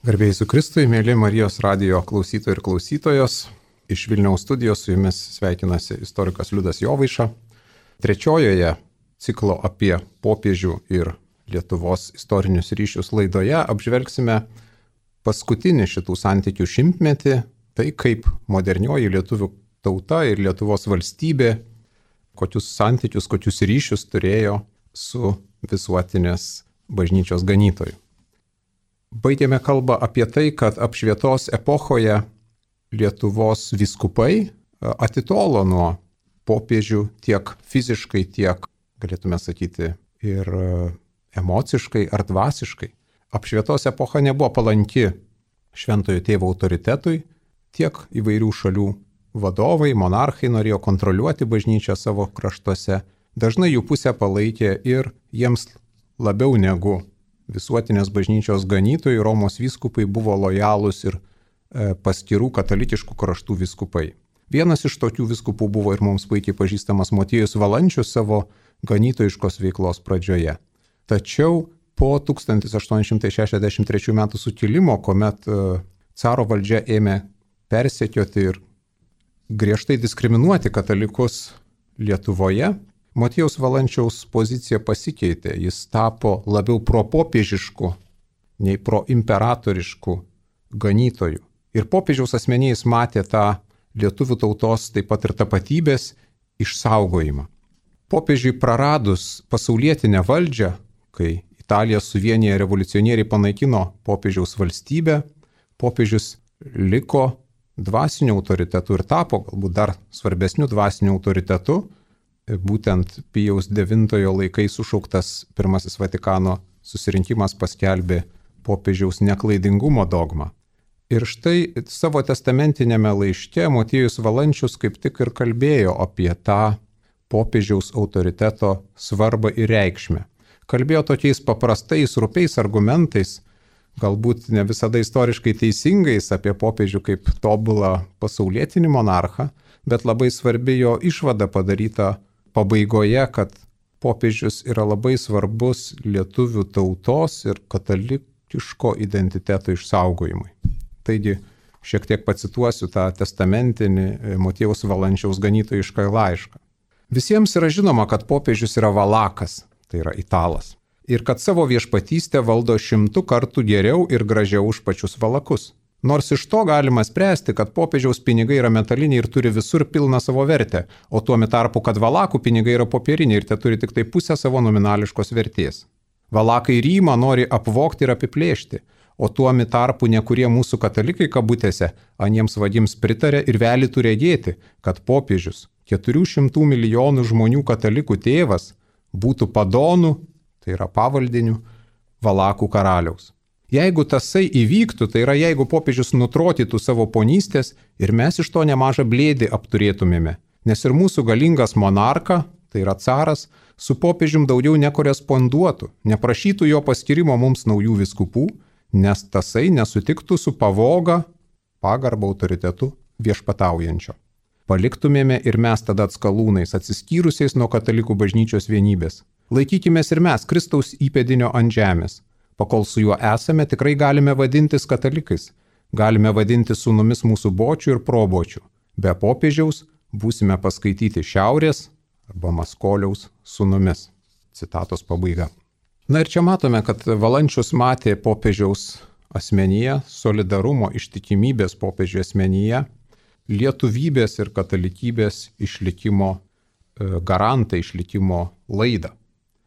Garbėjai su Kristui, mėly Marijos radijo klausytojai ir klausytojos. Iš Vilniaus studijos su jumis sveikinasi istorikas Liudas Jovaiša. Trečiojoje ciklo apie popiežių ir Lietuvos istorinius ryšius laidoje apžvelgsime paskutinį šitų santykių šimtmetį, tai kaip modernioji lietuvių tauta ir Lietuvos valstybė, kokius santykius, kokius ryšius turėjo su visuotinės bažnyčios ganytoju. Baigėme kalbą apie tai, kad apšvietos epochoje Lietuvos vyskupai atitolo nuo popiežių tiek fiziškai, tiek, galėtume sakyti, ir emociškai ar dvasiškai. Apšvietos epocha nebuvo palanki šventojo tėvo autoritetui, tiek įvairių šalių vadovai, monarchai norėjo kontroliuoti bažnyčią savo kraštuose. Dažnai jų pusę palaikė ir jiems labiau negu visuotinės bažnyčios ganytojai Romos vyskupai buvo lojalūs ir paskirų katalikiškų kraštų vyskupai. Vienas iš tokių vyskupų buvo ir mums puikiai pažįstamas Motiejus Valančius savo ganytojiškos veiklos pradžioje. Tačiau po 1863 metų sukilimo, kuomet caro valdžia ėmė persekioti ir griežtai diskriminuoti katalikus Lietuvoje, Motiejaus Valančiaus pozicija pasikeitė, jis tapo labiau propopiežišku nei proimperatorišku ganytoju. Ir popiežiaus asmeniais matė tą lietuvių tautos taip pat ir tapatybės išsaugojimą. Popiežiui praradus pasaulietinę valdžią, kai Italija suvieniję revoliucionieriai panaikino popiežiaus valstybę, popiežius liko dvasiniu autoritetu ir tapo galbūt dar svarbesniu dvasiniu autoritetu. Būtent Pijaus IX laikais sušauktas Pirmasis Vatikano susirinkimas paskelbė popiežiaus neklaidingumo dogmą. Ir štai savo testamentinėme laiške Motiejus Valančius kaip tik ir kalbėjo apie tą popiežiaus autoriteto svarbą ir reikšmę. Kalbėjo tokiais paprastais, rupiais argumentais, galbūt ne visada istoriškai teisingais apie popiežių kaip tobulą pasaulietinį monarchą, bet labai svarbi jo išvada padaryta pabaigoje, kad popiežius yra labai svarbus lietuvių tautos ir katalikiško identiteto išsaugojimui. Taigi, šiek tiek pacituosiu tą testamentinį Motiejaus Valančiaus ganytojišką laišką. Visiems yra žinoma, kad popiežius yra valakas, tai yra italas, ir kad savo viešpatystę valdo 100 kartų geriau ir gražiau už pačius valakus. Nors iš to galima spręsti, kad popiežiaus pinigai yra metaliniai ir turi visur pilną savo vertę, o tuo tarpu, kad valakų pinigai yra popieriniai ir te turi tik tai pusę savo nominališkos vertės. Valakai Rymą nori apvogti ir apiplėšti, o tuo tarpu nekurie mūsų katalikai kabutėse aniems vagims pritarė ir velytų regėti, kad popiežius 400 milijonų žmonių katalikų tėvas būtų padonų, tai yra pavaldinių, valakų karaliaus. Jeigu tasai įvyktų, tai yra jeigu popiežius nutrotytų savo ponystės ir mes iš to nemažą blėdį apturėtumėme, nes ir mūsų galingas monarka, tai yra caras, su popiežium daugiau nekoresponduotų, neprašytų jo paskirimo mums naujų vyskupų, nes tasai nesutiktų su pavoga, pagarba autoritetu viešpataujančio. Paliktumėme ir mes tada atskalūnais, atsiskyrusiais nuo katalikų bažnyčios vienybės. Laikykimės ir mes Kristaus įpėdinio ant žemės. Pakol su juo esame, tikrai galime vadintis katalikais, galime vadinti sūnumis mūsų bočių ir probočių. Be popiežiaus būsime paskaityti šiaurės arba maskoliaus sūnumis. Citatos pabaiga. Na ir čia matome, kad Valančius matė popiežiaus asmenyje, solidarumo, ištikimybės popiežių asmenyje, lietuvybės ir katalikybės išlikimo garantą, išlikimo laidą.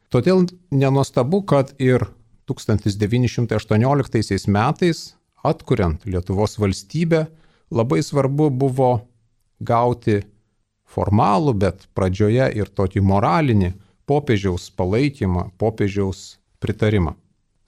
Todėl nenuostabu, kad ir 1918 metais, atkuriant Lietuvos valstybę, labai svarbu buvo gauti formalų, bet pradžioje ir tokį moralinį popiežiaus palaikymą, popiežiaus pritarimą.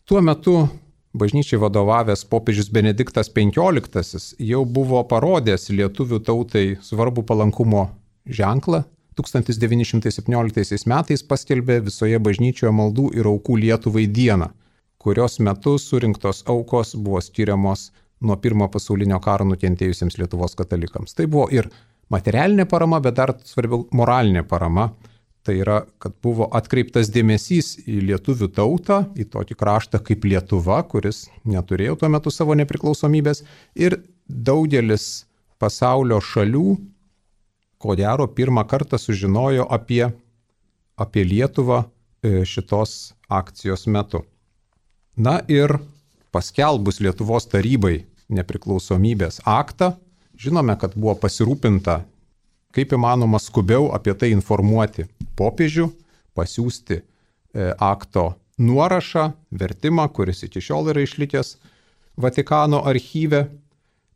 Tuo metu bažnyčiai vadovavęs popiežius Benediktas XV jau buvo parodęs lietuvių tautai svarbų palankumo ženklą. 1917 metais paskelbė visoje bažnyčioje maldų ir aukų Lietuvai dieną, kurios metu surinktos aukos buvo skiriamos nuo Pirmojo pasaulinio karo nukentėjusiems Lietuvos katalikams. Tai buvo ir materialinė parama, bet dar svarbiau moralinė parama. Tai yra, kad buvo atkreiptas dėmesys į lietuvių tautą, į tokį kraštą kaip Lietuva, kuris neturėjo tuo metu savo nepriklausomybės. Ir daugelis pasaulio šalių, ko gero, pirmą kartą sužinojo apie Lietuvą šitos akcijos metu. Na ir paskelbus Lietuvos tarybai nepriklausomybės aktą, žinome, kad buvo pasirūpinta, kaip įmanoma skubiau apie tai informuoti popiežių, pasiųsti akto nuorašą, vertimą, kuris iki šiol yra išlikęs Vatikano archyve,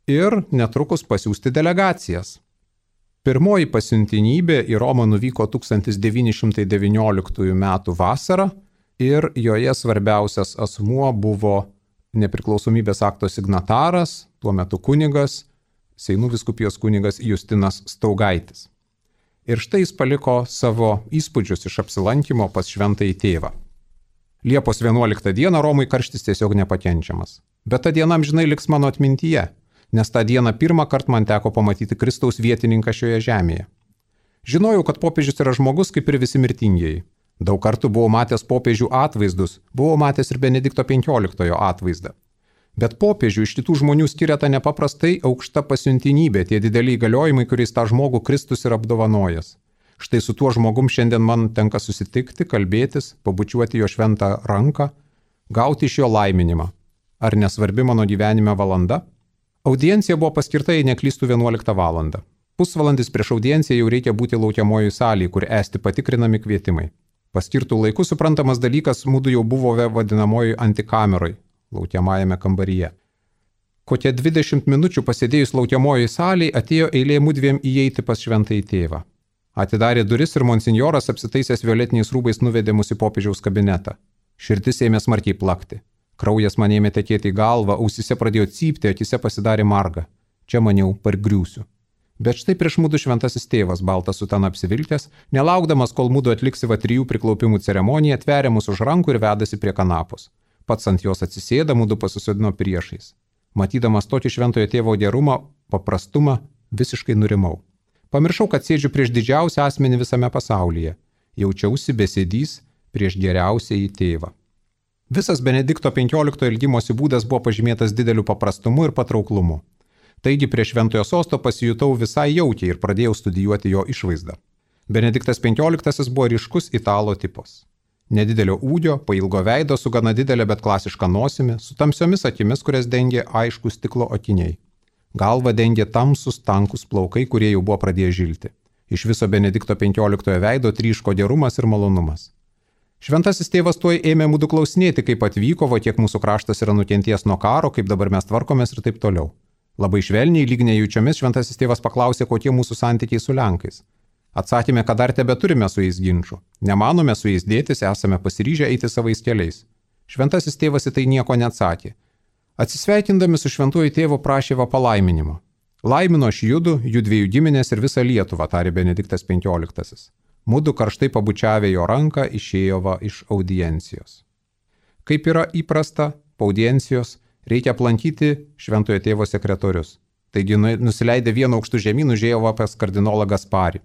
ir netrukus pasiųsti delegacijas. Pirmoji pasiuntinybė į Romą nuvyko 1919 m. vasarą ir joje svarbiausias asmuo buvo nepriklausomybės akto signataras, tuo metu kunigas, Seinų vyskupijos kunigas Justinas Staugaitis. Ir štai jis paliko savo įspūdžius iš apsilankimo pas šventąjį tėvą. Liepos 11 dieną Romui karštis tiesiog nepakenčiamas. Bet ta diena amžinai liks mano atmintyje, nes tą dieną pirmą kartą man teko pamatyti Kristaus vietininką šioje žemėje. Žinojau, kad popiežius yra žmogus kaip ir visi mirtingieji. Daug kartų buvau matęs popiežių atvaizdus, buvau matęs ir Benedikto XV atvaizdą. Bet popiežių iš kitų žmonių skiria ta nepaprastai aukšta pasiuntinybė, tie dideliai įgaliojimai, kuriais tą žmogų Kristus yra apdovanojęs. Štai su tuo žmogum šiandien man tenka susitikti, kalbėtis, pabučiuoti jo šventą ranką, gauti iš jo laiminimą. Ar nesvarbi mano gyvenime valanda? Audiencija buvo paskirta, jei neklystų 11 valandą. Pusvalandis prieš audienciją jau reikia būti laukiamojoj salėje, kur esti patikrinami kvietimai. Paskirtų laikų suprantamas dalykas, mudu jau buvome vadinamojoj antikameroj, laukiamajame kambaryje. Kokie 20 minučių pasėdėjus laukiamojoj salėje atėjo eilė mudviem įeiti pas šventąjį tėvą. Atidarė duris ir monsinjoras apsitaisęs violetiniais rūbais nuvedė mus į popiežiaus kabinetą. Širdis ėmė smarkiai plakti. Kraujas man ėmė tekėti į galvą, ausyse pradėjo cypti, akise pasidarė marga. Čia maniau, pargriūsiu. Bet štai prieš mudu šventasis tėvas, baltas sutana apsivilkęs, nelaukdamas, kol mudu atliksi 3 priklaupimų ceremoniją, atveria mus už rankų ir vedasi prie kanapos. Pats ant jos atsisėda, mudu pasisodino priešais. Matydamas tokį šventojo tėvo gerumą, paprastumą, visiškai nurimau. Pamiršau, kad sėdžiu prieš didžiausią asmenį visame pasaulyje. Jaučiausi besėdys prieš geriausiąjį tėvą. Visas Benedikto XV ilgimosi būdas buvo pažymėtas dideliu paprastumu ir patrauklumu. Taigi prie šventojo sosto pasijutau visai jaukiai ir pradėjau studijuoti jo išvaizdą. Benediktas XV buvo ryškus italo tipas. Nedidelio ūgio, pailgo veido su gana didelė, bet klasiška nosimi, su tamsiomis akimis, kurias dengė aiškus stiklo akiniai. Galva dengė tamsus, tankus plaukai, kurie jau buvo pradėję žilti. Iš viso Benedikto XV veido tryško gerumas ir malonumas. Šventasis tėvas tuoj ėmė mudu klausinėti, kaip atvyko, kiek mūsų kraštas yra nukenties nuo karo, kaip dabar mes tvarkomės ir taip toliau. Labai švelniai, lyg nejaučiomis, šventasis tėvas paklausė, kokie mūsų santykiai su Lenkais. Atsakėme, kad dar tebeturime su jais ginčių. Nemanome su jais dėtis, esame pasiryžę eiti savais keliais. Šventasis tėvas į tai nieko neatsakė. Atsisveikindami su šventuoju tėvu prašė va palaiminimo. Laimino aš judu, jų dviejų giminės ir visą Lietuvą, tarė Benediktas XV. Mudu karštai pabučiavę jo ranką išėjo va iš audiencijos. Kaip yra įprasta, po audiencijos reikia aplankyti šventojo tėvo sekretorius. Taigi nusileidę vienu aukštu žemyn užėjo va pas kardinolą Gasparį.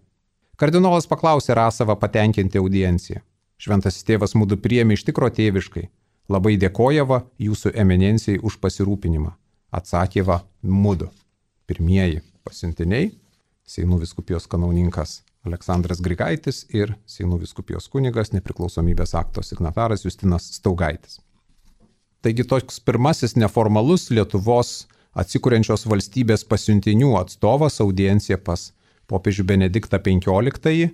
Kardinolas paklausė Rasavą patenkinti audienciją. Šventasis tėvas mudu priėmė iš tikro tėviškai. Labai dėkojava jūsų eminencijai už pasirūpinimą. Atsakė va mudu. Pirmieji pasiuntiniai – Seinų vyskupijos kanauninkas Aleksandras Grigaitis ir Seinų vyskupijos kunigas nepriklausomybės akto signataras Justinas Staugaitis. Taigi toks pirmasis neformalus Lietuvos atsikuriančios valstybės pasiuntinių atstovas audiencija pas popiežių Benediktą XV.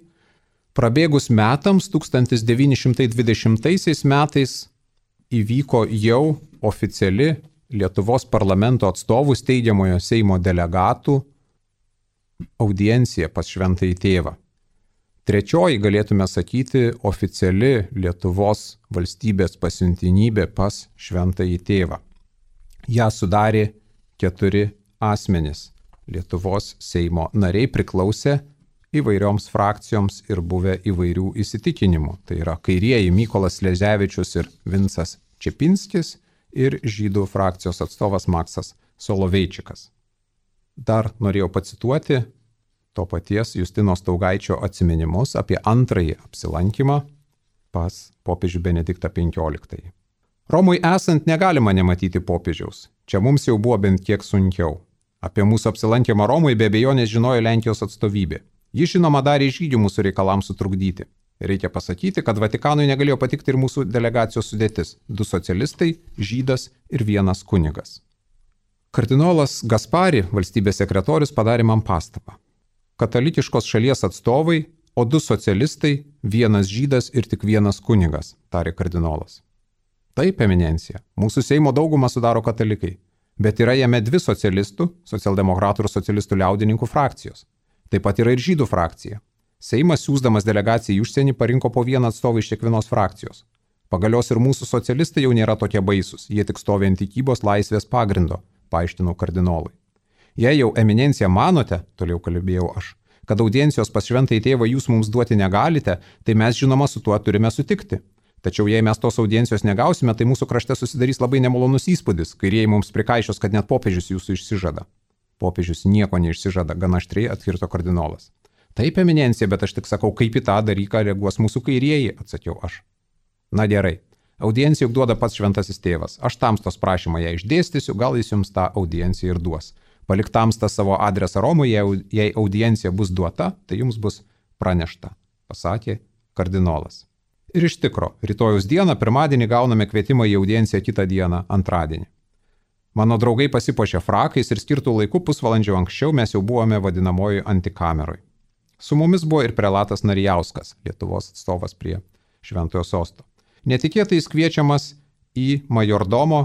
Prabėgus metams 1920 metais įvyko jau oficiali Lietuvos parlamento atstovų steigiamojo Seimo delegatų audiencija pas šventąjį tėvą. Trečioji, galėtume sakyti, oficiali Lietuvos valstybės pasiuntinybė pas šventąjį tėvą. Ja sudarė 4 asmenys. Lietuvos Seimo nariai priklausė įvairioms frakcijoms ir buvę įvairių įsitikinimų. Tai yra kairieji Mykolas Sleževičius ir Vincas Čepinskis ir žydų frakcijos atstovas Maksas Soloveičikas. Dar norėjau pacituoti to paties Justino Staugaičio atsiminimus apie antrąjį apsilankymą pas popiežių Benediktą XV. Romui esant negalima nematyti popiežiaus. Čia mums jau buvo bent kiek sunkiau. Apie mūsų apsilankymą Romui be abejonės žinojo Lenkijos atstovybė. Ji žinoma darė žygių mūsų reikalams sutrukdyti. Reikia pasakyti, kad Vatikanui negalėjo patikti ir mūsų delegacijos sudėtis – 2 socialistai, žydas ir 1 kunigas. Kardinolas Gaspari, valstybės sekretorius, padarė man pastabą. Katalikiškos šalies atstovai, o 2 socialistai, 1 žydas ir tik 1 kunigas, tarė kardinolas. Taip, eminencija, mūsų Seimo daugumą sudaro katalikai, bet yra jame 2 socialistų, socialdemokratų ir socialistų liaudininkų frakcijos. Taip pat yra ir žydų frakcija. Seimas, siųsdamas delegaciją į užsienį, parinko po 1 atstovą iš kiekvienos frakcijos. Pagalios ir mūsų socialistai jau nėra tokie baisūs, jie tik stovi ant tikybos laisvės pagrindo, paaiškinau kardinolui. Jei jau eminencija manote, toliau kalbėjau aš, kad audiencijos pas šventąjį tėvą jūs mums duoti negalite, tai mes žinoma su tuo turime sutikti. Tačiau jei mes tos audiencijos negausime, tai mūsų krašte susidarys labai nemalonus įspūdis, kairieji mums prikaišios, kad net popiežius jūsų išsižada. Popiežius nieko neišsižada, gana aštriai atkirto kardinolas. Taip, eminencija, bet aš tik sakau, kaip į tą dalyką reaguos mūsų kairieji, atsakiau aš. Na gerai, audienciją juk duoda pats šventasis tėvas. Aš tamstos prašymą ją išdėstysiu, gal jis jums tą audienciją ir duos. Palik tamstą savo adresą Romui, jei audiencija bus duota, tai jums bus pranešta, pasakė kardinolas. Ir iš tikro, rytojus dieną, pirmadienį gauname kvietimą į audienciją kitą dieną, antradienį. Mano draugai pasipuošė frakais ir skirtų laikų pusvalandžio anksčiau mes jau buvome vadinamoji antikameroj. Su mumis buvo ir prelatas Narijauskas, Lietuvos atstovas prie Šventojo sosto. Netikėtai jis kviečiamas į majordomo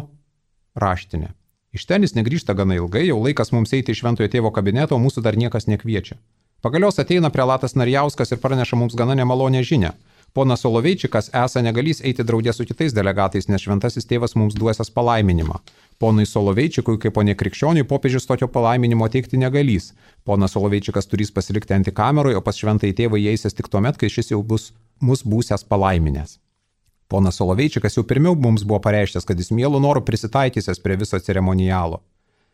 raštinę. Iš ten jis negrįžta gana ilgai, jau laikas mums eiti į Šventojo tėvo kabinetą, o mūsų dar niekas nekviečia. Pagalios ateina prelatas Narijauskas ir praneša mums gana nemalonę žinią. Ponas Soloveičikas esą negalys eiti draugė su kitais delegatais, nes šventasis tėvas mums duosias palaiminimą. Ponui Soloveičikui, kaip ponė krikščioniui, popiežius tokio palaiminimo teikti negalys. Ponas Soloveičikas turės pasilikti antikameroje, o pas šventąjį tėvą įeisės tik tuomet, kai šis jau bus mus būsęs palaiminęs. Ponas Soloveičikas jau pirmiau mums buvo pareiškęs, kad jis mielu noru prisitaikysės prie viso ceremonialo.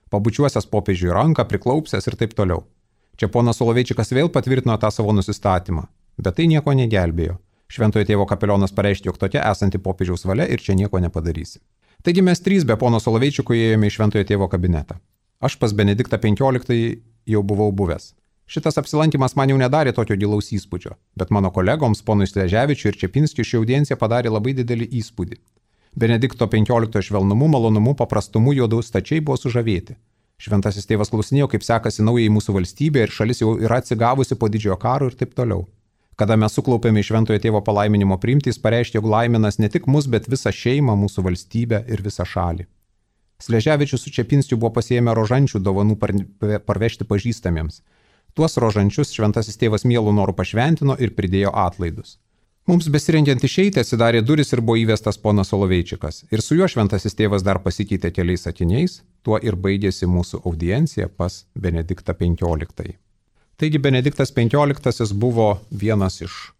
Pabučiuosias popiežiui ranką, priklaupsęs ir taip toliau. Čia ponas Soloveičikas vėl patvirtino tą savo nusistatymą, bet tai nieko negelbėjo. Šventojo tėvo kapelionas pareiškė, jog tokia esanti popiežiaus valia ir čia nieko nepadarysi. Taigi mes 3 be pono Soloveičiko įėjome į Šventojo tėvo kabinetą. Aš pas Benediktą XV jau buvau buvęs. Šitas apsilankimas man jau nedarė tokio gilaus įspūdžio, bet mano kolegoms, ponui Sleževičiui ir Čepinskiui, ši audiencija padarė labai didelį įspūdį. Benedikto XV švelnumu, malonumu, paprastumu juodu stačiai buvo sužavėti. Šventasis tėvas klausinėjo, kaip sekasi naujai mūsų valstybė ir šalis jau yra atsigavusi po didžiojo karo ir taip toliau. Kada mes suklaupėme į Šventojo tėvo palaiminimo priimti, jis pareiškė, jog laiminas ne tik mus, bet visą šeimą, mūsų valstybę ir visą šalį. Sleževičius su Čepinskiu buvo pasiėmę rožančių dovanų parvežti pažįstamiems. Tuos rožančius šventasis tėvas mielų norų pašventino ir pridėjo atlaidus. Mums besirengiant išeiti atsidarė duris ir buvo įvestas ponas Soloveičikas. Ir su juo šventasis tėvas dar pasikeitė keliais sakiniais, tuo ir baigėsi mūsų audiencija pas Benediktą XV. Taigi Benediktas XV buvo vienas iš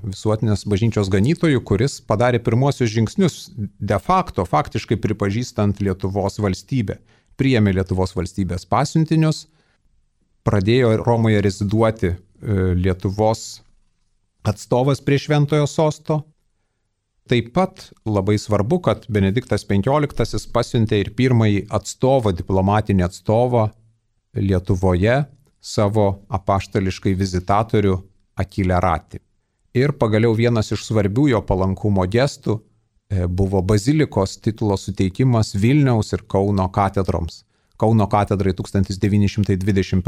visuotinės bažnyčios ganytojų, kuris padarė pirmuosius žingsnius de facto, faktiškai pripažįstant Lietuvos valstybę. Priėmė Lietuvos valstybės pasiuntinius, pradėjo Romoje reziduoti Lietuvos atstovas prie Šventojo sosto. Taip pat labai svarbu, kad Benediktas XV pasiuntė ir pirmąjį atstovą, diplomatinį atstovą Lietuvoje, savo apaštališkai vizitatorių Akilę Ratį. Ir pagaliau vienas iš svarbių jo palankumo gestų buvo bazilikos titulo suteikimas Vilniaus ir Kauno katedroms. Kauno katedrai 1921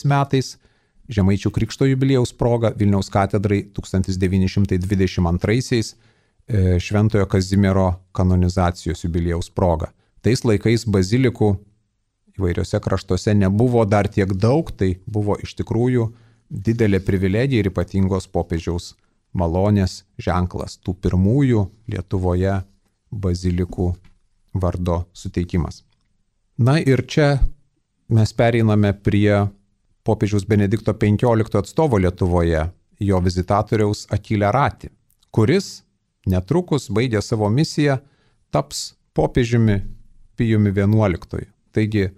metais, Žemaičių Krikšto jubiliejaus proga, Vilniaus katedrai 1922 Šventojo Kazimiero kanonizacijos jubiliejaus proga. Tais laikais bazilikų įvairiose kraštuose nebuvo dar tiek daug, tai buvo iš tikrųjų didelė privilegija ir ypatingos popiežiaus malonės ženklas, tų pirmųjų Lietuvoje bazilikų vardo suteikimas. Na ir čia mes pereiname prie popiežiaus Benedikto XV atstovo Lietuvoje, jo vizitatoriaus Akilę Ratį, kuris netrukus baigė savo misiją, taps popiežiumi Pijumi XI. Taigi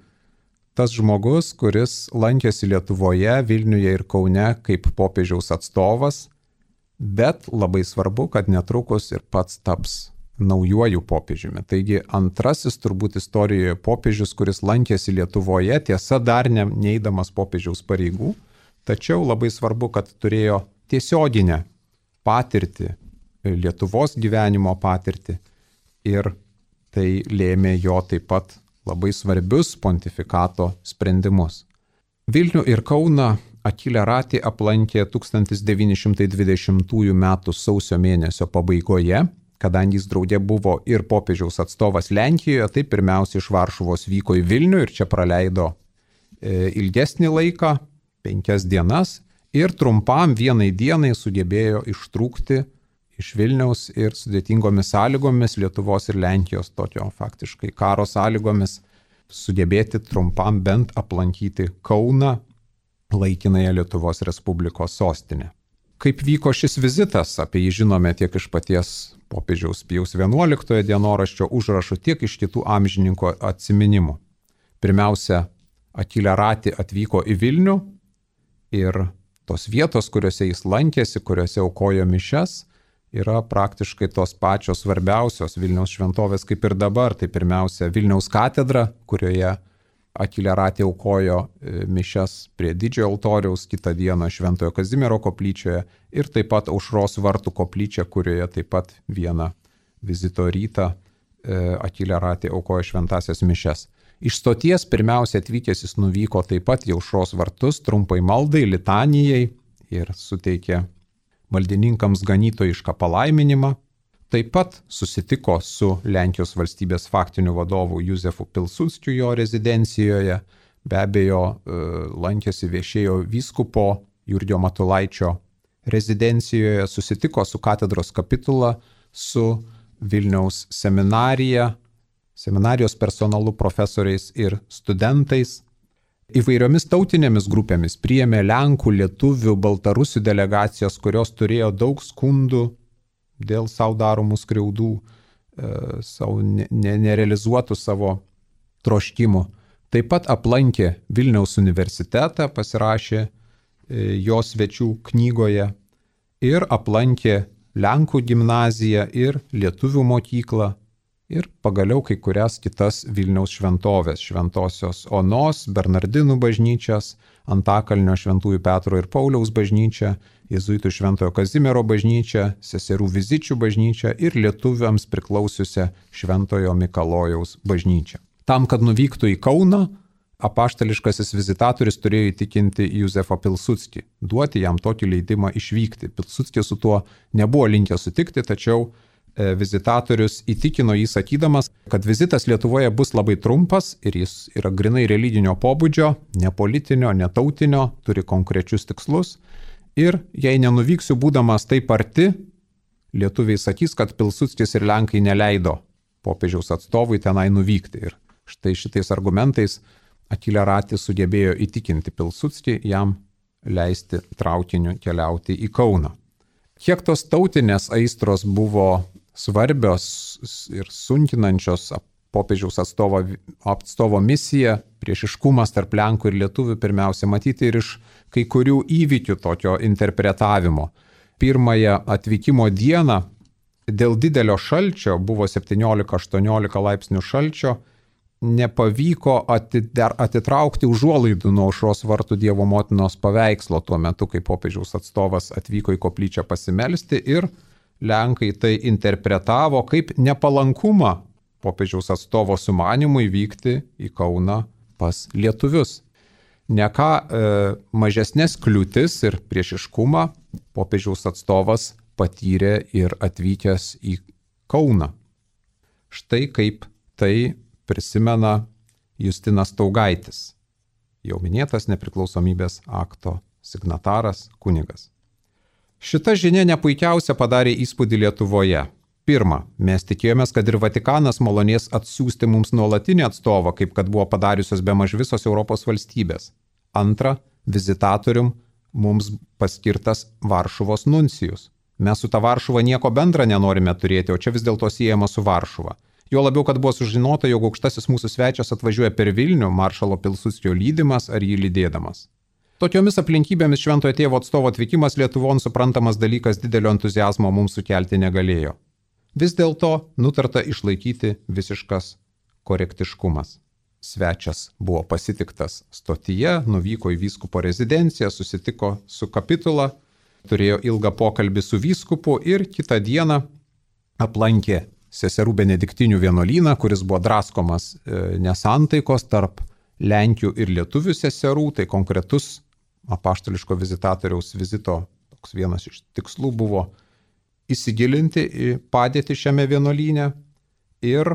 tas žmogus, kuris lankėsi Lietuvoje, Vilniuje ir Kaune kaip popiežiaus atstovas, bet labai svarbu, kad netrukus ir pats taps naujuoju popiežiumi. Taigi antrasis turbūt istorijoje popiežius, kuris lankėsi Lietuvoje, tiesa dar neeidamas popiežiaus pareigų, tačiau labai svarbu, kad turėjo tiesioginę patirtį, Lietuvos gyvenimo patirtį ir tai lėmė jo taip pat labai svarbius pontifikato sprendimus. Vilnių ir Kauną Achille Ratti aplankė 1920 m. sausio mėnesio pabaigoje, kadangi jis draugė buvo ir popiežiaus atstovas Lenkijoje, tai pirmiausia iš Varšuvos vyko į Vilnių ir čia praleido ilgesnį laiką, 5 dienas, ir trumpam vienai dienai sugebėjo ištrūkti iš Vilniaus ir sudėtingomis sąlygomis, Lietuvos ir Lenkijos tokio faktiškai karo sąlygomis, sugebėti trumpam bent aplankyti Kauną, laikinąją Lietuvos Respublikos sostinę. Kaip vyko šis vizitas, apie jį žinome tiek iš paties popiežiaus Pijaus XI dienoraščio užrašų, tiek iš kitų amžininkų atsiminimų. Pirmiausia, Achille Ratti atvyko į Vilnių ir tos vietos, kuriuose jis lankėsi, kuriuose aukojo mišias, yra praktiškai tos pačios svarbiausios Vilniaus šventovės kaip ir dabar. Tai pirmiausia Vilniaus katedra, kurioje Achille Ratti aukojo mišias prie Didžiojo altoriaus, kitą dieną Šventojo Kazimiero koplyčioje ir taip pat Aušros vartų koplyčia, kurioje taip pat vieną vizito rytą Achille Ratti aukojo šventasias mišias. Iš stoties pirmiausia atvykęs jis nuvyko taip pat į Aušros vartus trumpai maldai, litanijai ir suteikė maldininkams ganytojišką palaiminimą. Taip pat susitiko su Lenkijos valstybės faktiniu vadovu Józefu Pilsudskiu jo rezidencijoje. Be abejo, lankėsi viešėjo vyskupo Jurgio Matulaičio rezidencijoje, susitiko su katedros kapitula, su Vilniaus seminarija, seminarijos personalu, profesoriais ir studentais. Įvairiomis tautinėmis grupėmis priėmė Lenkų, Lietuvių, Baltarusių delegacijos, kurios turėjo daug skundų dėl savo daromų skriaudų, nerealizuotų savo troškimų. Taip pat aplankė Vilniaus universitetą, pasirašė jo svečių knygoje ir aplankė Lenkų gimnaziją ir Lietuvių mokyklą ir pagaliau kai kurias kitas Vilniaus šventovės, Šventosios Onos, Bernardinų bažnyčias, Antakalnio Šventųjų Petro ir Pauliaus bažnyčią, Jėzuitų Šventojo Kazimiero bažnyčią, Seserų Vizičių bažnyčią ir lietuviams priklausiusią Šventojo Mikalojaus bažnyčią. Tam, kad nuvyktų į Kauną, apaštališkasis vizitatorius turėjo įtikinti Józefą Pilsudskį, duoti jam tokį leidimą išvykti. Pilsudskis su tuo nebuvo linkęs sutikti, tačiau vizitatorius įtikino jį sakydamas, kad vizitas Lietuvoje bus labai trumpas ir jis yra grinai religinio pobūdžio, ne politinio, ne tautinio, turi konkrečius tikslus. Ir jei nenuvyksiu būdamas taip arti, lietuviai sakys, kad Pilsudskis ir Lenkai neleido popiežiaus atstovui tenai nuvykti. Ir štai šitais argumentais Achille Ratti sugebėjo įtikinti Pilsudskį jam leisti traukiniu keliauti į Kauną. Kiek tos tautinės aistros buvo svarbios ir sunkinančios popiežiaus atstovo misiją, priešiškumas tarp Lenkų ir Lietuvių pirmiausia matyti ir iš kai kurių įvykių tokio interpretavimo. Pirmąją atvykimo dieną dėl didelio šalčio, buvo 17-18 laipsnių šalčio, nepavyko atitraukti užuolaidų nuo Aušros vartų Dievo motinos paveikslo tuo metu, kai popiežiaus atstovas atvyko į koplyčią pasimelsti ir Lenkai tai interpretavo kaip nepalankumą popiežiaus atstovo sumanimui vykti į Kauną pas lietuvius. Ne ką mažesnės kliūtis ir priešiškumą popiežiaus atstovas patyrė ir atvykęs į Kauną. Štai kaip tai prisimena Justinas Taugaitis, jau minėtas nepriklausomybės akto signataras kunigas. Šita žinia nepuikiausia padarė įspūdį Lietuvoje. Pirma, mes tikėjomės, kad ir Vatikanas malonės atsiųsti mums nuolatinį atstovą, kaip kad buvo padariusios bemaž visos Europos valstybės. Antra, vizitatorium mums paskirtas Varšuvos nuncijus. Mes su ta Varšuva nieko bendra nenorime turėti, o čia vis dėlto siejama su Varšuva. Jo labiau, kad buvo sužinota, jog aukštasis mūsų svečias atvažiuoja per Vilnių, maršalo Pilsudskio lydimas ar jį lydėdamas. Tokiomis aplinkybėmis Šventojo Tėvo atstovo atvykimas Lietuvon suprantamas dalykas didelio entuziazmo mums sukelti negalėjo. Vis dėlto nutarta išlaikyti visiškas korektiškumas. Svečias buvo pasitiktas stotyje, nuvyko į vyskupo rezidenciją, susitiko su kapitula, turėjo ilgą pokalbį su vyskupu ir kitą dieną aplankė seserų benediktinių vienuolyną, kuris buvo draskomas nesantaikos tarp Lenkių ir lietuvių seserų. Tai konkretus apaštališko vizitatoriaus vizito toks vienas iš tikslų buvo įsigilinti į padėtį šiame vienuolyne. Ir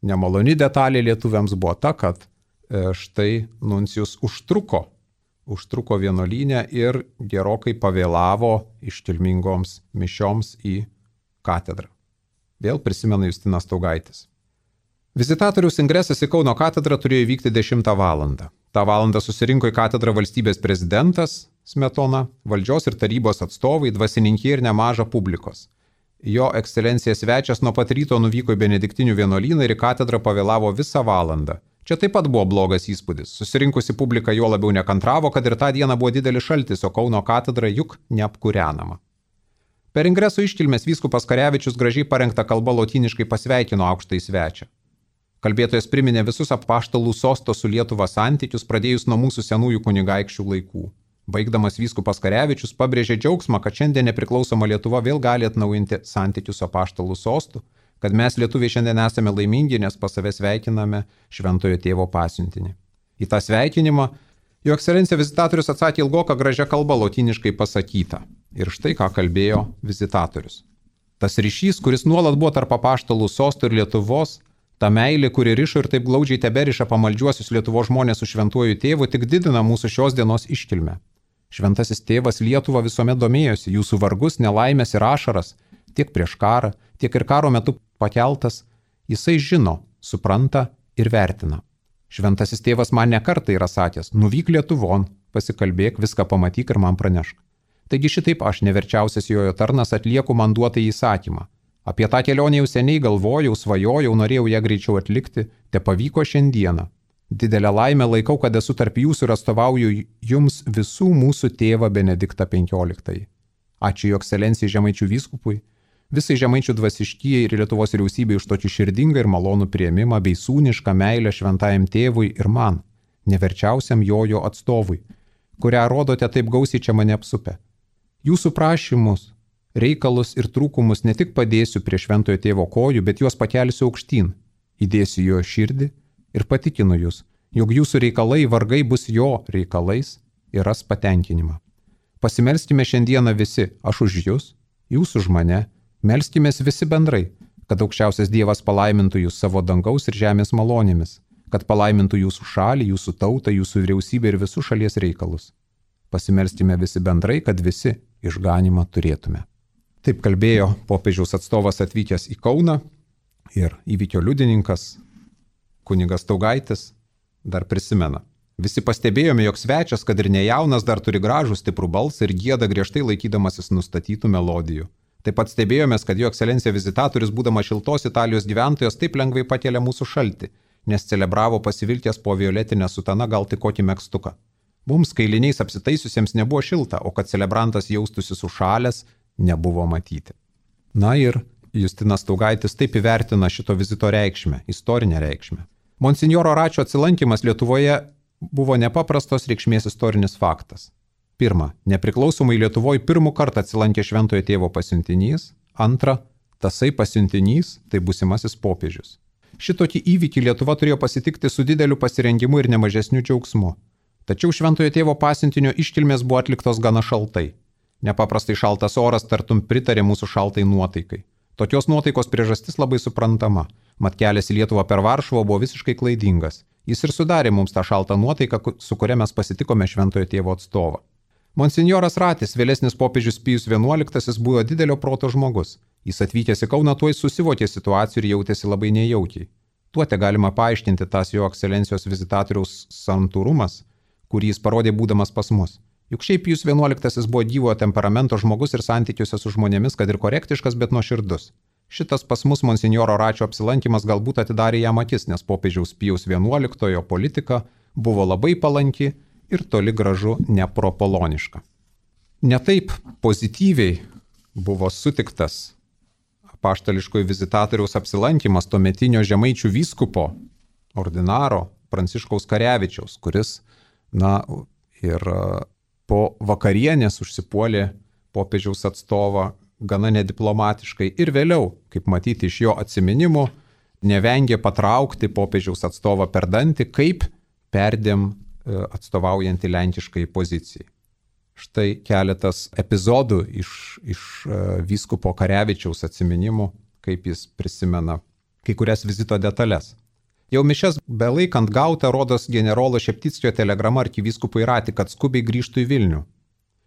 nemaloni detalė lietuviams buvo ta, kad štai nuncijus užtruko vienuolyne ir gerokai pavėlavo iškilmingoms mišioms į katedrą. Vėl prisimena Justinas Staugaitis. Vizitatoriaus ingresas į Kauno katedrą turėjo įvykti 10 valandą. Ta valandą susirinko į katedrą valstybės prezidentas Smetona, valdžios ir tarybos atstovai, dvasininkiai ir nemaža publikos. Jo ekscelencija svečias nuo pat ryto nuvyko į benediktinių vienuolyną ir į katedrą pavėlavo visą valandą. Čia taip pat buvo blogas įspūdis. Susirinkusi publika jo labiau nekantravo, kad ir tą dieną buvo didelis šaltis, o Kauno katedra juk neapkūrenama. Per ingreso iškilmės vyskupas Karevičius gražiai parengtą kalbą lotyniškai pasveikino aukštąjį svečią. Kalbėtojas priminė visus apaštalų sosto su Lietuva santykius, pradėjus nuo mūsų senųjų kunigaikščių laikų. Baigdamas vyskupas Karevičius pabrėžė džiaugsmą, kad šiandien nepriklausoma Lietuva vėl gali atnaujinti santykius su apaštalų sostu, kad mes lietuviai šiandien esame laimingi, nes pas save sveikiname Šventojo Tėvo pasiuntinį. Į tą sveikinimą jo ekscelencija vizitatorius atsakė ilgoką gražią kalbą lotyniškai pasakytą. Ir štai ką kalbėjo vizitatorius. Tas ryšys, kuris nuolat buvo tarp apaštalų sosto ir Lietuvos, ta meilė, kuri rišo ir taip glaudžiai teberiša pamaldžiuosius Lietuvos žmonės su Šventuoju Tėvu, tik didina mūsų šios dienos iškilmę. Šventasis Tėvas Lietuva visuomet domėjosi, jūsų vargus, nelaimės ir ašaras, tiek prieš karą, tiek ir karo metu pakeltas, jisai žino, supranta ir vertina. Šventasis Tėvas man nekartą yra sakęs, nuvyk Lietuvon, pasikalbėk, viską pamatyk ir man pranešk. Taigi šitaip aš, neverčiausias jojo tarnas, atlieku man duotą įsakymą. Apie tą kelionę jau seniai galvojau, svajojau, norėjau ją greičiau atlikti, te pavyko šiandieną. Didelę laimę laikau, kad esu tarp jūsų ir atstovauju jums visų mūsų tėvą Benediktą XV. Ačiū jo ekscelencijai Žemaičių vyskupui, visai Žemaičių dvasiškijai ir Lietuvos vyriausybei už tokį širdingą ir malonų priėmimą bei sūnišką meilę šventajam tėvui ir man, neverčiausiam jojo atstovui, kurią rodote taip gausiai čia mane apsupę. Jūsų prašymus, reikalus ir trūkumus ne tik padėsiu prie Šventojo Tėvo kojų, bet juos pakelsiu aukštyn, įdėsiu jo širdį ir patikinu jūs, jog jūsų reikalai vargai bus jo reikalais ir ras patenkinimą. Pasimelskime šiandieną visi, aš už jūs, jūs už mane, melskimės visi bendrai, kad aukščiausias Dievas palaimintų jūs savo dangaus ir žemės malonėmis, kad palaimintų jūsų šalį, jūsų tautą, jūsų vyriausybę ir visus šalies reikalus. Pasimelskime visi bendrai, kad visi išganimą turėtume. Taip kalbėjo popiežiaus atstovas atvykęs į Kauną ir įvykio liudininkas kunigas Staugaitis dar prisimena. Visi pastebėjome, jog svečias, kad ir nejaunas, dar turi gražų stiprų balsą ir gieda griežtai laikydamasis nustatytų melodijų. Taip pat stebėjomės, kad jo ekscelencija vizitatorius, būdamas šiltos Italijos gyventojas, taip lengvai pakėlė mūsų šaltį, nes celebravo pasivilkęs po violetinę sutaną gal tik kokį megztuką. Mums kailiniais apsitaisiusiems nebuvo šilta, o kad celebrantas jaustųsi sušalęs, nebuvo matyti. Na ir Justinas Staugaitis taip įvertina šito vizito reikšmę, istorinę reikšmę. Monsinjoro Račio atsilankimas Lietuvoje buvo nepaprastos reikšmės istorinis faktas. Pirma, nepriklausomai Lietuvoje pirmą kartą atsilankė Šventojo Tėvo pasiuntinys. Antra, tasai pasiuntinys tai būsimasis popiežius. Šitokį įvykį Lietuva turėjo pasitikti su dideliu pasirengimu ir nemažesniu džiaugsmu. Tačiau Šventojo Tėvo pasiuntinio iškilmės buvo atliktos gana šaltai. Nepaprastai šaltas oras tartum pritarė mūsų šaltai nuotaikai. Tokios nuotaikos priežastis labai suprantama. Mat kelias į Lietuvą per Varšuvą buvo visiškai klaidingas. Jis ir sudarė mums tą šaltą nuotaiką, su kuria mes pasitikome Šventojo Tėvo atstovą. Monsinjoras Ratis, vėlesnis popiežius Pijus XI, buvo didelio proto žmogus. Jis atvykęs į Kauną tuoj susivokė situacijų ir jautėsi labai nejaukiai. Tuo te galima paaiškinti tas jo ekscelencijos vizitatoriaus santūrumas, kurį jis parodė būdamas pas mus. Juk šiaip Pijus XI buvo gyvo temperamento žmogus ir santykiuose su žmonėmis, kad ir korektiškas, bet nuoširdus. Šitas pas mus monsinjoro Račio apsilankimas galbūt atidarė jam akis, nes popiežiaus Pijaus XI politika buvo labai palanki ir toli gražu nepropoloniška. Netaip pozityviai buvo sutiktas apaštališkojo vizitatoriaus apsilankimas tuometinio žemaičių vyskupo ordinaro Pranciškaus Karevičiaus, kuris, ir po vakarienės užsipuolė popiežiaus atstovą gana nediplomatiškai ir vėliau, kaip matyti iš jo atsiminimų, nevengė patraukti popiežiaus atstovą per dantį, kaip perdėm atstovaujantį lenkiškai pozicijai. Štai keletas epizodų iš vyskupo Karevičiaus atsiminimų, kaip jis prisimena kai kurias vizito detalės. Jau mišias belaikant gauta rodos generolo Šeptickio telegrama arkivyskupui Rati, kad skubiai grįžtų į Vilnių.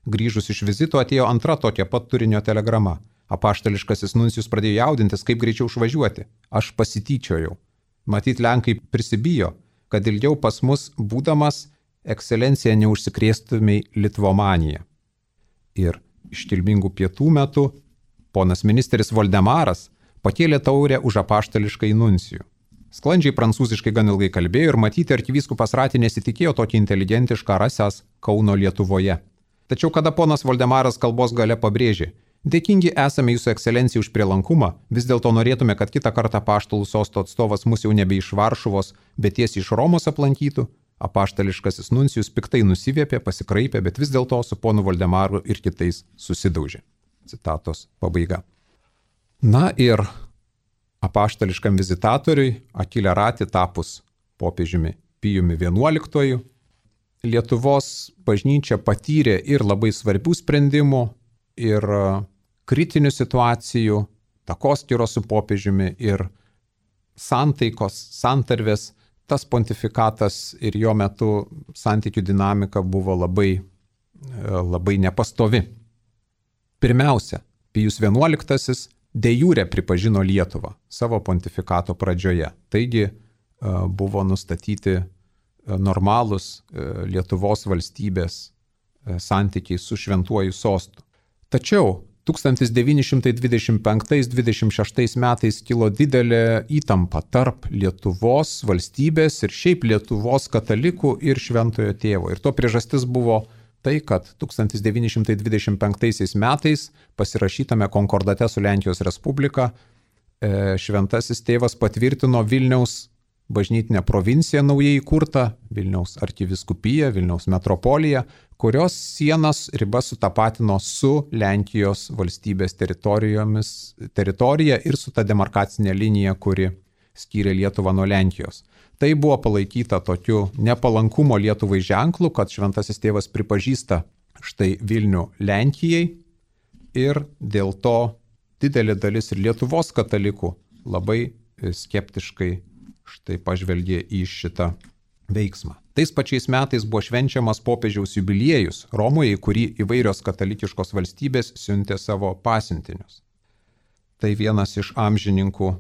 Grįžus iš vizito atėjo antra tokia pat turinio telegrama. Apaštališkasis nuncijus pradėjo jaudintis, kaip greičiau išvažiuoti. Aš pasityčiojau. Matyt, lenkai prisibijo, kad ilgiau pas mus būdamas ekscelencija neužsikrėstumei litvomanija. Ir iškilmingų pietų metu ponas ministras Voldemaras pakėlė taurę už apaštališkai nuncijų. Sklandžiai prancūziškai gan ilgai kalbėjo ir matyti arkivyskupas Rati nesitikėjo tokį inteligentišką rasęs Kauno Lietuvoje. Tačiau kada ponas Voldemaras kalbos gale pabrėžė, dėkingi esame jūsų ekscelencijai už prielankumą, vis dėlto norėtume, kad kitą kartą apaštalų sosto atstovas mus jau nebe iš Varšuvos, bet tiesiai iš Romos aplankytų, apaštališkasis nuncijus piktai nusiviepė, pasikraipė, bet vis dėlto su ponu Voldemaru ir kitais susidaužė. Citatos pabaiga. Ir apaštališkam vizitatoriui Akilė Rati tapus popiežiumi Pijumi XI, Lietuvos bažnyčia patyrė ir labai svarbių sprendimų, ir kritinių situacijų, takoskyros su popiežiumi, ir santaikos, santarvės. Tas pontifikatas ir jo metu santykių dinamika buvo labai nepastovi. Pirmiausia, Pijus XI de jure pripažino Lietuvą savo pontifikato pradžioje. Taigi buvo nustatyti normalūs Lietuvos valstybės santykiai su šventuoju sostu. Tačiau 1925-26 metais kilo didelė įtampa tarp Lietuvos valstybės ir šiaip Lietuvos katalikų ir šventojo tėvo. Ir to priežastis buvo tai, kad 1925 metais pasirašytame konkordate su Lenkijos Respublika šventasis tėvas patvirtino Vilniaus bažnytinę provinciją naujai įkurtą, Vilniaus arkiviskupiją, Vilniaus metropoliją, kurios sienas ribas sutapatino su Lenkijos valstybės teritorija ir su ta demarkacinė linija, kuri skyrė Lietuvą nuo Lenkijos. Tai buvo palaikyta tokiu nepalankumo Lietuvai ženklu, kad šventasis tėvas pripažįsta štai Vilnių Lenkijai ir dėl to didelė dalis ir Lietuvos katalikų labai skeptiškai štai pažvelgė į šitą veiksmą. Tais pačiais metais buvo švenčiamas popiežiaus jubiliejus Romoje, į kurį įvairios katalikiškos valstybės siuntė savo pasiuntinius. Tai vienas iš amžininkų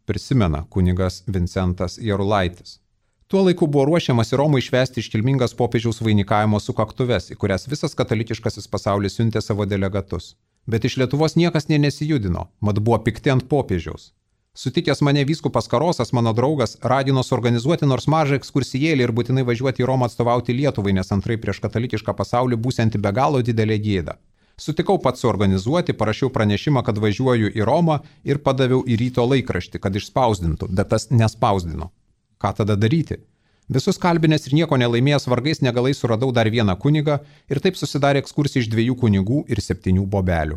prisimena kunigas Vincentas Jarulaitis. Tuo laiku buvo ruošiamas į Romą išvesti iškilmingas popiežiaus vainikavimo sukaktuves, į kurias visas katalikiškasis pasaulis siuntė savo delegatus. Bet iš Lietuvos niekas nesijudino, mat buvo pikti ant popiežiaus. Sutikęs mane vyskupas Karosas, mano draugas, ragino suorganizuoti nors mažą ekskursijėlį ir būtinai važiuoti į Romą atstovauti Lietuvai, nes antrai prieš katalikišką pasaulį būsianti be galo didelė gėda. Sutikau pats suorganizuoti, parašiau pranešimą, kad važiuoju į Romą ir padaviau į Ryto laikraštį, kad išspausdintų, bet tas nespausdino. Ką tada daryti? Visus kalbinės ir nieko nelaimėjęs vargais negalais suradau dar vieną kunigą ir taip susidarė ekskursija iš 2 kunigų ir 7 bobelių.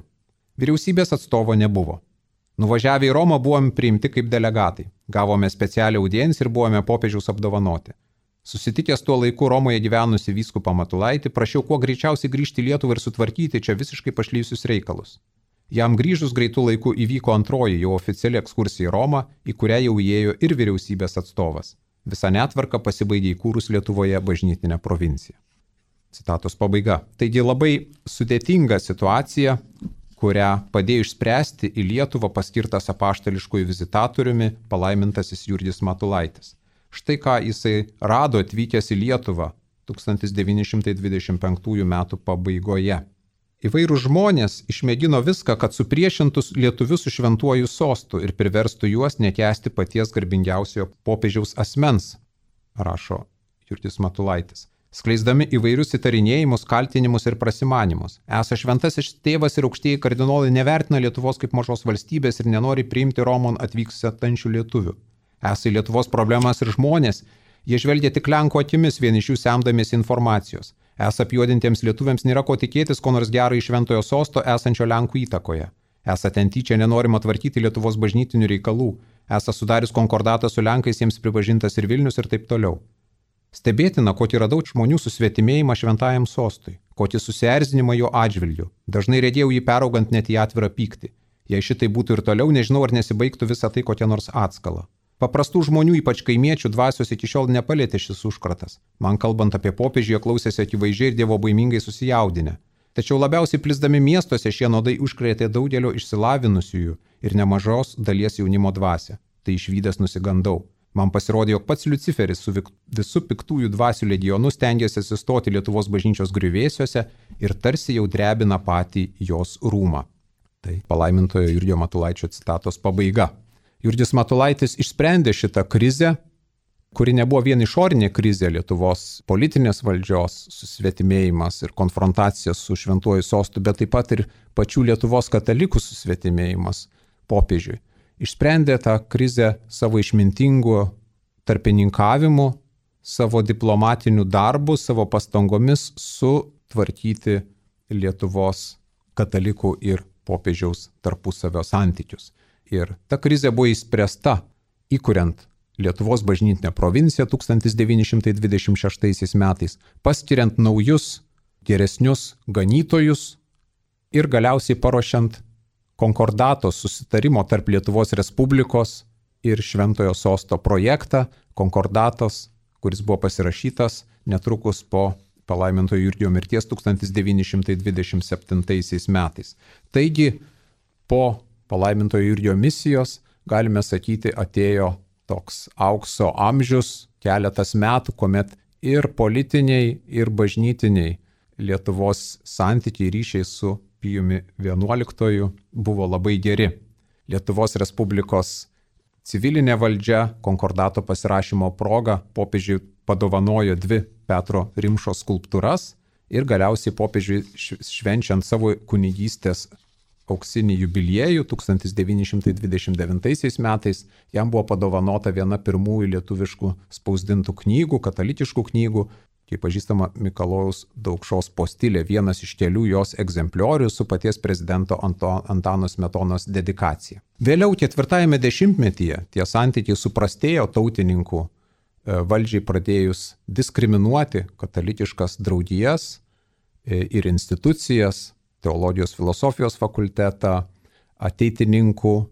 Vyriausybės atstovo nebuvo. Nuvažiavę į Romą buvome priimti kaip delegatai. Gavome specialią audienciją ir buvome popiežiaus apdovanoti. Susitikęs tuo laiku Romoje gyvenusi vyskupą Matulaitį, prašiau kuo greičiausiai grįžti į Lietuvą ir sutvarkyti čia visiškai pašlyjusius reikalus. Jam grįžus greitų laikų įvyko antroji jau oficiali ekskursija į Romą, į kurią jau įėjo ir vyriausybės atstovas. Visa netvarka pasibaigė įkūrus Lietuvoje bažnytinę provinciją. Citatos pabaiga. Taigi labai sudėtinga situacija, kurią padėjo išspręsti į Lietuvą paskirtas apaštališkojų vizitatoriumi palaimintasis Jurgis Matulaitis. Štai ką jisai rado atvykęs į Lietuvą 1925 metų pabaigoje. Įvairūs žmonės išmėgino viską, kad supriešintus lietuvius su šventuoju sostu ir priverstų juos nekęsti paties garbingiausiojo popiežiaus asmens, rašo Jurgis Matulaitis, skleisdami įvairius įtarinėjimus, kaltinimus ir prasimanimus. Esą šventasis tėvas ir aukštieji kardinolai nevertina Lietuvos kaip mažos valstybės ir nenori priimti Romon atvyksiančių lietuvių. Esą Lietuvos problemas ir žmonės, jie žvelgia tik Lenkų akimis, vien iš jų semdamiesi informacijos. Esą apjuodintiems lietuviams nėra ko tikėtis, ko nors gero iš šventojo sosto esančio Lenkų įtakoje. Esą ten tyčia nenorima tvarkyti Lietuvos bažnytinių reikalų. Esą sudarius konkordatą su Lenkais jiems pripažintas ir Vilnius ir taip toliau. Stebėtina, kokį radau žmonių susvetimėjimą šventajam sostui, kokį susierzinimą jo atžvilgiu. Dažnai regėjau jį peraugant net į atvirą pyktį. Jei šitai būtų ir toliau, nežinau, ar nesibaigtų visą tai kokia nors atskala. Paprastų žmonių, ypač kaimiečių dvasios iki šiol nepalėtė šis užkratas. Man kalbant apie popiežių, jie klausėsi akivaizdžiai ir dievobaimingai susijaudinę. Tačiau labiausiai plisdami miestuose šie nuodai užkrėtė daugelio išsilavinusiųjų ir nemažos dalies jaunimo dvasią. Tai išvydęs nusigandau. Man pasirodė, jog pats Liuciferis su visų piktųjų dvasių legionu stengiasi atsistoti Lietuvos bažnyčios griuvėsiuose ir tarsi jau drebina patį jos rūmą. Tai palaimintojo Jurgio Matulaičio citatos pabaiga. Jurgis Matulaitis išsprendė šitą krizę, kuri nebuvo vien išorinė krizė Lietuvos politinės valdžios susvetimėjimas ir konfrontacija su šventuoju sostu, bet taip pat ir pačių Lietuvos katalikų susvetimėjimas popiežiui. Išsprendė tą krizę savo išmintingu tarpininkavimu, savo diplomatiniu darbu, savo pastangomis sutvarkyti Lietuvos katalikų ir popiežiaus tarpusavio santykius. Ir ta krizė buvo išspręsta įkuriant Lietuvos bažnytinę provinciją 1926 metais, paskiriant naujus, geresnius ganytojus ir galiausiai paruošiant konkordato susitarimo tarp Lietuvos Respublikos ir Šventojo sosto projektą, konkordatos, kuris buvo pasirašytas netrukus po palaimintojo Jurgio mirties 1927 metais. Taigi, po palaimintojo Jurgio misijos, galime sakyti, atėjo toks aukso amžius, keletas metų, kuomet ir politiniai, ir bažnytiniai Lietuvos santykiai ryšiai su Pijumi XI buvo labai geri. Lietuvos Respublikos civilinė valdžia konkordato pasirašymo proga popiežiui padovanojo 2 Petro Rimšos skulptūras ir galiausiai popiežiui švenčiant savo kunigystės auksinį jubiliejų 1929 metais jam buvo padovanota viena pirmųjų lietuviškų spausdintų knygų, katalikiškų knygų, kaip pažįstama Mikalojaus Daukšos postilė, vienas iš kelių jos egzempliorių su paties prezidento Antano Smetonos dedikacija. Vėliau 4-ame dešimtmetyje tie santykiai suprastėjo tautininkų valdžiai pradėjus diskriminuoti katalikiškas draugijas ir institucijas, teologijos filosofijos fakultetą, ateitininkų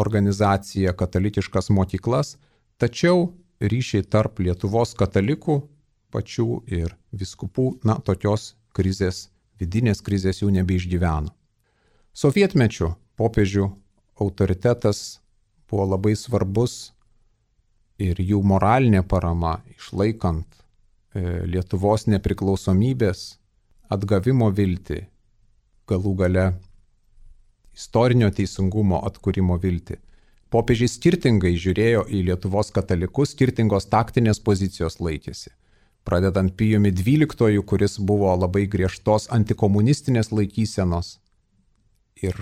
organizaciją, katalikiškas mokyklas, tačiau ryšiai tarp Lietuvos katalikų pačių ir vyskupų, tokios krizės, vidinės krizės jau nebeišgyveno. Sovietmečiu popiežių autoritetas buvo labai svarbus ir jų moralinė parama išlaikant Lietuvos nepriklausomybės atgavimo viltį, galų gale istorinio teisingumo atkūrimo viltį. Popiežiai skirtingai žiūrėjo į Lietuvos katalikus, skirtingos taktinės pozicijos laikėsi. Pradedant Pijumi XII, kuris buvo labai griežtos antikomunistinės laikysenos ir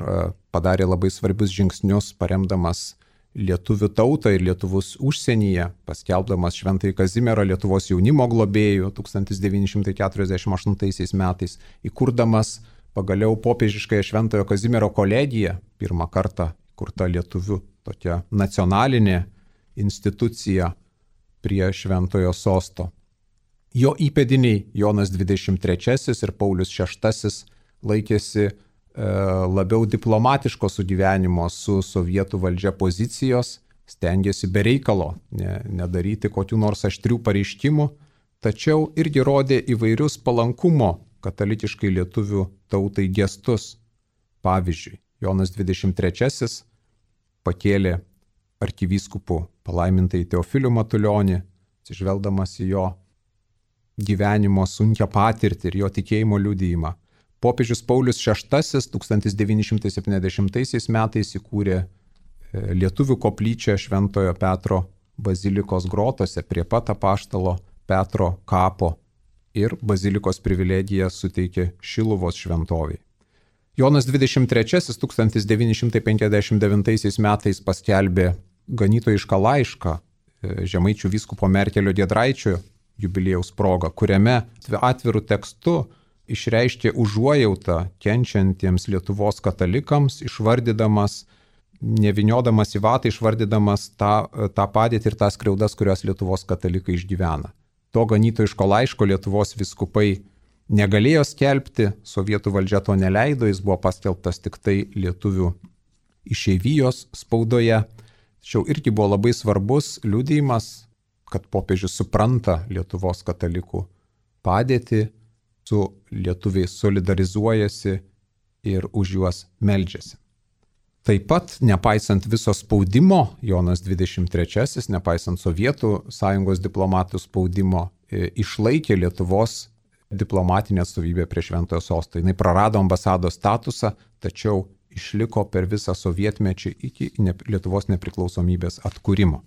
padarė labai svarbius žingsnius, paremdamas lietuvių tautą ir lietuvus užsienyje, paskelbdamas Šventąjį Kazimierą Lietuvos jaunimo globėjų 1948 metais, įkurdamas pagaliau popiežiškąją Šventojo Kazimiero kolegiją, pirmą kartą kurta lietuvių tokia nacionalinė institucija prie Šventojo sosto. Jo įpėdiniai Jonas XXIII ir Paulius VI laikėsi labiau diplomatiško sugyvenimo su sovietų valdžia pozicijos, stengėsi be reikalo nedaryti kokių nors aštrių pareiškimų, tačiau irgi rodė įvairius palankumo katalikiškai lietuvių tautai gestus. Pavyzdžiui, Jonas XXIII pakėlė arkivyskupu palaimintąjį Teofilių Matulionį, atsižvelgdamas į jo gyvenimo sunkią patirtį ir jo tikėjimo liudijimą. Popiežius Paulius VI 1970 metais įkūrė lietuvių koplyčią Šventojo Petro bazilikos grotose prie pat apaštalo Petro kapo ir bazilikos privilegiją suteikė Šiluvos šventoviai. Jonas XXIII 1959 metais paskelbė ganytojišką laišką žemaičių vyskupo Merkelio Giedraičio jubiliejaus proga, kuriame atvirų tekstu išreiškė užuojautą kenčiantiems Lietuvos katalikams, išvardydamas, neviniodamas į vatą, išvardydamas tą padėtį ir tas skriaudas, kurias Lietuvos katalikai išgyvena. To ganytojiško laiško Lietuvos vyskupai negalėjo skelbti, sovietų valdžia to neleido, jis buvo paskelbtas tik tai lietuvių išeivijos spaudoje. Tačiau irgi buvo labai svarbus liudijimas, kad popiežius supranta Lietuvos katalikų padėtį, su lietuviais solidarizuojasi ir už juos meldžiasi. Taip pat, nepaisant viso spaudimo, Jonas XXIII, nepaisant Sovietų sąjungos diplomatų spaudimo, išlaikė Lietuvos diplomatinę atstovybę prie Šventojo sosto. Jis prarado ambasados statusą, tačiau išliko per visą sovietmečią iki Lietuvos nepriklausomybės atkūrimo.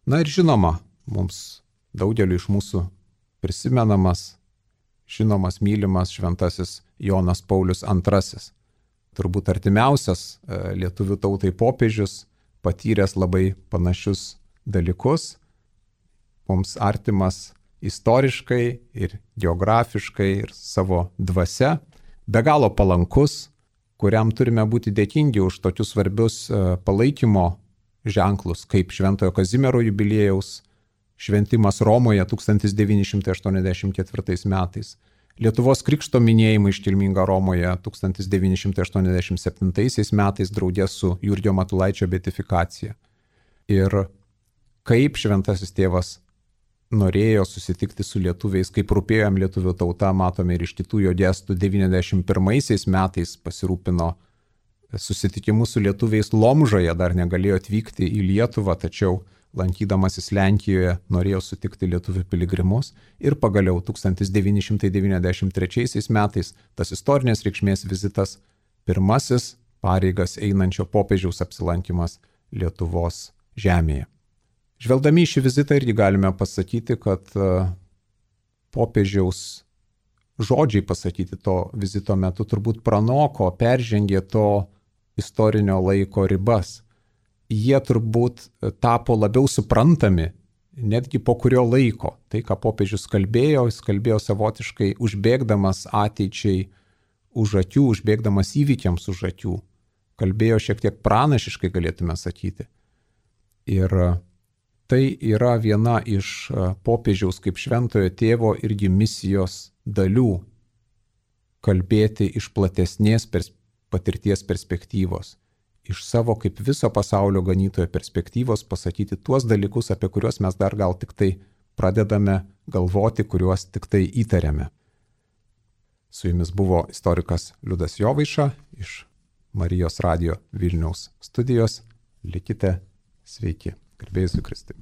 Na ir žinoma, mums daugeliu iš mūsų prisimenamas, žinomas, mylimas šventasis Jonas Paulius II. Turbūt artimiausias lietuvių tautai popiežius, patyręs labai panašius dalykus, mums artimas istoriškai ir geografiškai ir savo dvasia, be galo palankus, kuriam turime būti dėkingi už tokius svarbius palaikymo ženklus, kaip Šventojo Kazimiero jubiliejaus šventimas Romoje 1984 metais, Lietuvos krikšto minėjimai iškilminga Romoje 1987 metais draugė su Jurgio Matulaičio beatifikacija. Ir kaip šventasis tėvas norėjo susitikti su lietuviais, kaip rūpėjo jam lietuvių tauta, matome ir iš kitų jo gestų. 91 metais pasirūpino susitikimu su lietuviais Lomžoje, dar negalėjo atvykti į Lietuvą, tačiau lankydamasis Lenkijoje norėjo sutikti lietuvių piligrimus ir pagaliau 1993 metais tas istorinės reikšmės vizitas, pirmasis pareigas einančio popiežiaus apsilankimas Lietuvos žemėje. Žvelgdami į šį vizitą irgi galime pasakyti, kad popiežiaus žodžiai pasakyti to vizito metu turbūt pranoko, peržengė to istorinio laiko ribas. Jie turbūt tapo labiau suprantami netgi po kurio laiko. Tai, ką popiežius kalbėjo, jis kalbėjo savotiškai užbėgdamas ateičiai už akių, užbėgdamas įvykiams už akių. Kalbėjo šiek tiek pranašiškai, galėtume sakyti. Ir tai yra viena iš popiežiaus kaip šventojo tėvo irgi misijos dalių – kalbėti iš platesnės patirties perspektyvos. Iš savo kaip viso pasaulio ganytojo perspektyvos pasakyti tuos dalykus, apie kuriuos mes dar gal tik tai pradedame galvoti, kuriuos tik tai įtariame. Su jumis buvo istorikas Liudas Jovaiša iš Marijos radijo Vilniaus studijos. Likite sveiki. Garbė Jėzui Kristui.